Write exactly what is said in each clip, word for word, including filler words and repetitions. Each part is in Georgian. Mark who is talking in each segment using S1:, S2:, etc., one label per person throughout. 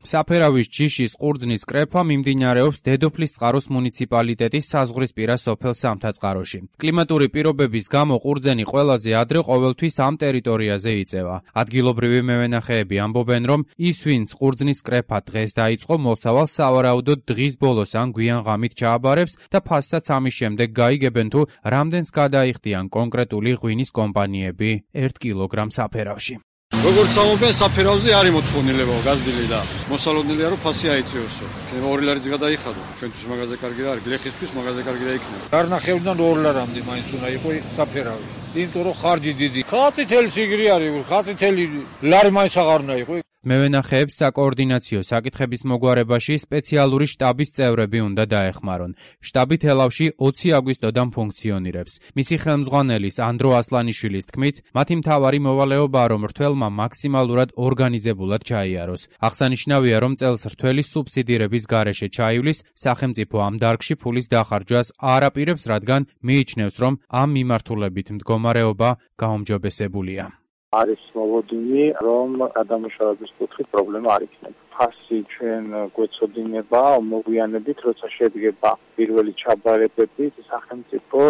S1: საფერავის ჯიშის ყურძნის კრეფა მიმდინარეობს დედოფლის წყაროს მუნიციპალიტეტის საზღვრისპირა სოფელ სამთაწყაროში. კლიმატური პირობების გამო ყურძენი ყველაზე ადრე ყოველთვის ამ ტერიტორიაზე იწევა. ადგილობრივი მევენახეები ამბობენ, რომ ის, ვინც ყურძნის კრეფა დღეს დაიწყო, მოსავალ სავარაუდოდ დღის ბოლოს ან გვიან ღამით ჩააბარებს და ფასსაც ამის შემდეგ გაიგებენ, თუ რამდენს გადაიხდიან კონკრეტული ღვინის კომპანიები ერთ კილოგრამ საფერავში.
S2: როგორც ამობენ, საფერავზე არის მოთხოვნილება გაზრდილი და მოსალოდნელია, რომ ფასი აიწევსო. ორი ლარიც გადაიხადო. ჩვენთვის მაღაზია კარგი არის, გლეხისთვის მაღაზია კარგი და იქნება.
S3: გარნახევრიდან ორ ლარამდე მაინც უნდა იყოს საფერავი. იმიტომ რომ ხარჯი დიდი. ხალხი თელი სიგრი არის, ხალხი თელი ლარი მაინც აღარ უნდა იყოს.
S1: მევენახეებს საკოორდინაციო საკითხების მოგვარებაში სპეციალური შტაბის წევრები უნდა დაეხმარონ. შტაბი თელავში ოცი აგვისტოდან ფუნქციონირებს. მისი ხელმძღვანელის ანდრო ასლანიშვილის თქმით, მათი მთავარი მოვალეობაა, რომ რთველმა მაქსიმალურად ორგანიზებულად ჩაიაროს. აღსანიშნავია, რომ წელს რთველის სუბსიდირების გარეშე ჩაივლის, სახელმწიფო ამ დარგში ფულის დახარჯვას არ აპირებს, რადგან მიიჩნევს, რომ ამ მიმართულებით მდგომარეობა გაუმჯობესებულია.
S4: არის მოლოდინი, რომ გადამუშავების კუთხით პრობლემა არ იქნება. ფასი ჩვენ გვეცოდინება მოგვიანებით, როცა შედგება პირველი ჩაბარებები, სახელმწიფო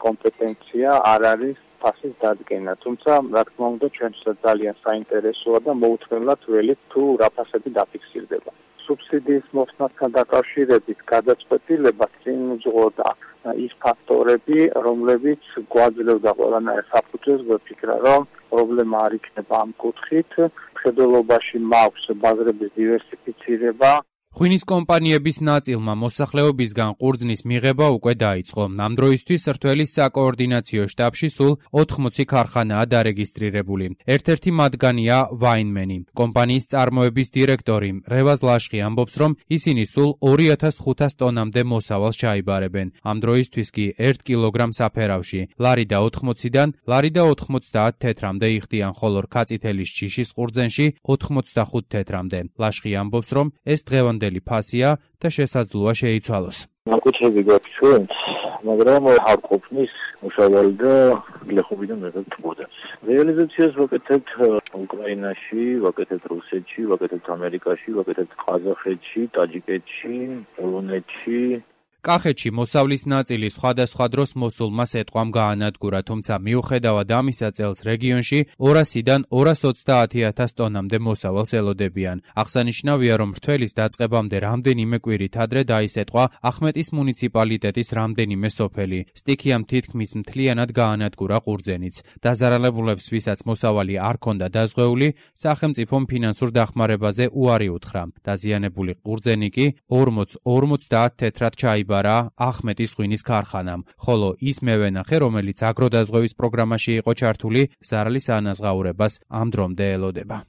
S4: კომპეტენცია არ არის ფასის დადგენა. თუმცა, რა თქმა უნდა, ჩვენსაც ძალიან საინტერესოა და მოუთმენლად ველით, თუ რა ფასები დაფიქსირდება. სუბსიდიის მოხსნასთან დაკავშირებით გადაწყვეტილება წინ უძღოდა ის ფაქტორები, რომლებიც გვაძლევდა ყველანაირ საფუძველს გვეფიქრა, რომ პრობლემა არ იქნება ამ კუთხით. მხედველობაში მაქვს ბაზრების დივერსიფიცირება.
S1: ღვინის კომპანიების ნაწილმა მოსახლეობისგან ყურძნის მიღება უკვე დაიწყო. ამ დროისთვის რთველის საკოორდინაციო შტაბში სულ ოთხმოცი ქარხანაა დარეგისტრირებული. ერთ-ერთი მათგანია ვაინმენი. კომპანიის წარმოების დირექტორი რევაზ ლაშხი ამბობს, რომ ისინი სულ ორი ათას ხუთას ტონამდე მოსავალს ჩაიბარებენ. ამ დროისთვის კი ერთ კილოგრამ საფერავში ლარი და ოთხმოციდან ლარი და ოთხმოცდაათ თეთრამდე იხდიან, ხოლო რქაწითელის ჯიშის ყურძენში ოთხმოცდახუთ თეთრამდე. ლაშხი ამბობს, რომ ეს დღევანდელი ფასია და შესაძლოა შეიცვალოს.
S5: ნაკუთრები გვაქვს ჩვენც, მაგრამ არ ყოფნის მუშავალი და გლეხობიდან მეგობრებოდა. რეალიზაციას ვაკეთებთ უკრაინაში, ვაკეთებთ რუსეთში, ვაკეთებთ ამერიკაში, ვაკეთებთ ყაზახეთში, ტაჯიკეთში, პოლონეთში.
S1: კახეთში მოსავლის ნაწილი სხვადასხვა დროს მოსულმა სეტყვამ გაანადგურა, თუმცა მიუხედავად ამისა წელს რეგიონში ორასიდან ორას ოცდაათი ათას ტონამდე მოსავალს ელოდებიან. აღსანიშნავია, რომ რთველის დაწყებამდე რამდენიმე კვირით ადრე დაისეტყვა ახმეტის მუნიციპალიტეტის რამდენიმე სოფელი. სტიქიამ თითქმის მთლიანად გაანადგურა ყურძენიც. დაზარალებულებს, ვისაც მოსავალი არ ქონდა დაზღვეული, სახელმწიფომ ფინანსურ დახმარებაზე უარი უთხრა. დაზიანებული ყურძენი კი ორმოცდაათ თეთრად ჩაიბარა ახმეტის ღვინის ქარხანამ, ხოლო ის მევენახე, რომელიც აგროდაზღვევის პროგრამაში იყო ჩართული, ზარალის ანაზღაურებას ამ დრომდე ელოდება.